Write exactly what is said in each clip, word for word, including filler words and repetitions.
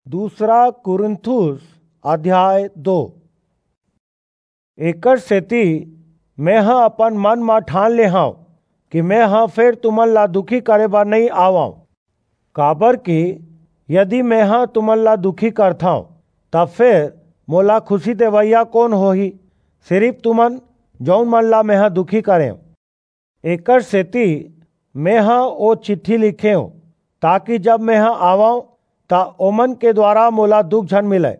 दूसरा कुरिन्थुस अध्याय दो। एकर सेती मेंह अपन मन म ठान ले हंव कि मेंह फेर तुमन ला दुखी करे बर नइं आवंव, काबरकि यदि मेंह तुमन ला दुखी करथंव, त फेर मोला खुसी देवइया कोन होही? सिरिप तुमन, जऊन मन ला मेंह दुखी करेंव। एकर सेती मेंह ओ चिट्ठी लिखेंव, ताकि जब मेंह आवंव, त ओमन के दुवारा मोला दुख झन मिलय,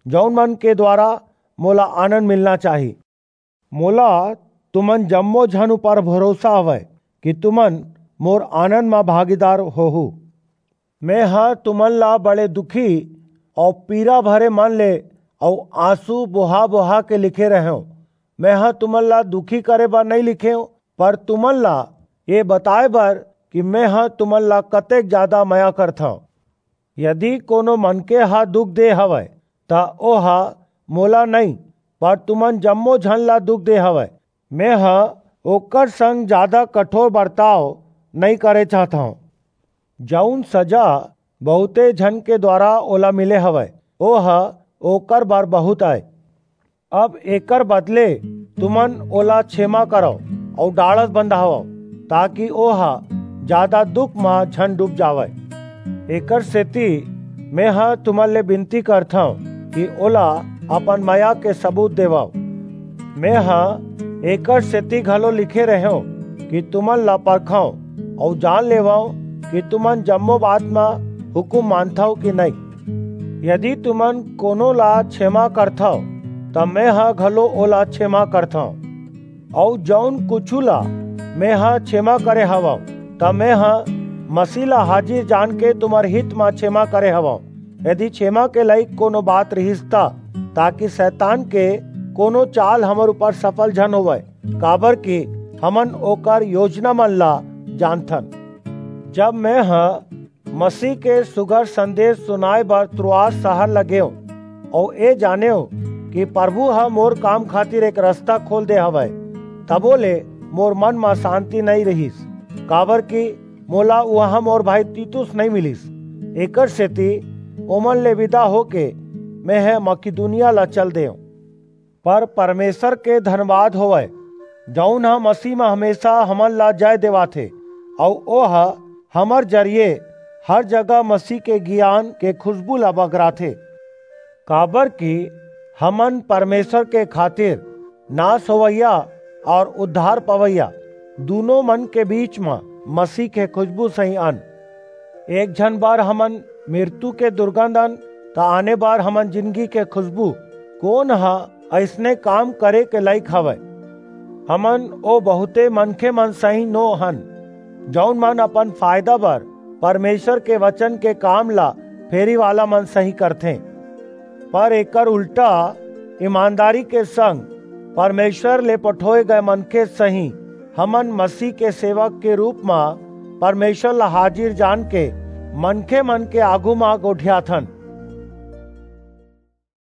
जऊन मन के दुवारा मोला आनंद मिलना चाही। मोला तुमन जम्मो झन ऊपर भरोसा हवय कि तुमन मोर आनंद म भागीदार होहू। मेंह तुमन ला बड़े दुखी अऊ पीरा भरे मन ले अऊ आंसू बोहा-बोहा के लिखे रहेंव। मेंह तुमन ला दुखी करे बर नइं लिखेंव, पर तुमन ला ये बताय बर कि मेंह तुमन ला कतेक जादा मया करथंव। यदि कोनो मनखे ह दुख दे हवय, त ओह मोला नइं, पर तुमन जम्मो झन ला दुख दे हवय। मेंह ओकर संग जादा कठोर बरताव नइं करे चाहथंव। जऊन सजा बहुते झन के दुवारा ओला मिले हवय, ओह ओकर बर बहुंत अय। अब एकर बदले तुमन ओला छेमा करव अऊ डाढ़स बंधावव, ताकि ओह जादा दुख म झन डूब जावय। एकर सेती मेंह तुमन ले बिनती करथंव कि ओला अपन मया के सबूत देवव। मेंह एकर सेती घलो लिखे रहेंव कि तुमन ला परखंव अऊ जान लेवंव कि तुमन जम्मो बात म हुकूम मानथव कि नइं। यदि तुमन कोनो ला छेमा करथव, त मेंह घलो ओला छेमा करथंव। अऊ जऊन कुछू ला मेंह छेमा करे हवंव, त मेंह मसीह ला हाजिर जानके तुम्हर हित म छेमा करे हवंव। यदि छेमा के लइक कोनो बात रिहिस त, ताकि सैतान के कोनो चाल हमर ऊपर सफल झन होवय, काबरकि हमन ओकर योजनामन ला जानथन। जब मेंह मसीह के सुघर संदेस सुनाय बर त्रोआस सहर ल गेंव, अऊ ए जानेंव कि परभू ह मोर काम खातिर एक रसता खोल दे हवय, तभो ले मोर मन म सांति नइं रिहिस, काबरकि मोला उहां मोर भाई तीतुस नइं मिलिस। एकर सेती ओमन ले बिदा होके मेंह मकिदुनिया ल चल देंव। पर परमेसर के धनबाद होवय, जऊन ह मसीह म हमेसा हमन ला जय देवाथे, अऊ ओह हमर जरिये हर जगह मसीह के गियान के खुसबू ला बगराथे। काबरकि हमन परमेसर के खातिर नास होवइया अऊ उद्धार पवइया दूनों मन के बीच म मसीह के खुसबू सहीं अन। एक झन बर हमन मिरतू के दुरगंध अन, त आने बर हमन जिनगी के खुसबू। कोन ह अइसने काम करे के लइक हवय? हमन ओ बहुंते मनखेमन सहीं नो हन, जऊन मन अपन फायदा बर परमेसर के बचन के काम ला फेरीवालामन सहीं करथें। पर एकर उल्टा, ईमानदारी के संग परमेसर ले पठोय गय मनखे सहीं हमन मसीह के सेवक के रूप म परमेसर ला हाजिर जानके मनखेमन के आघू म गोठियाथन।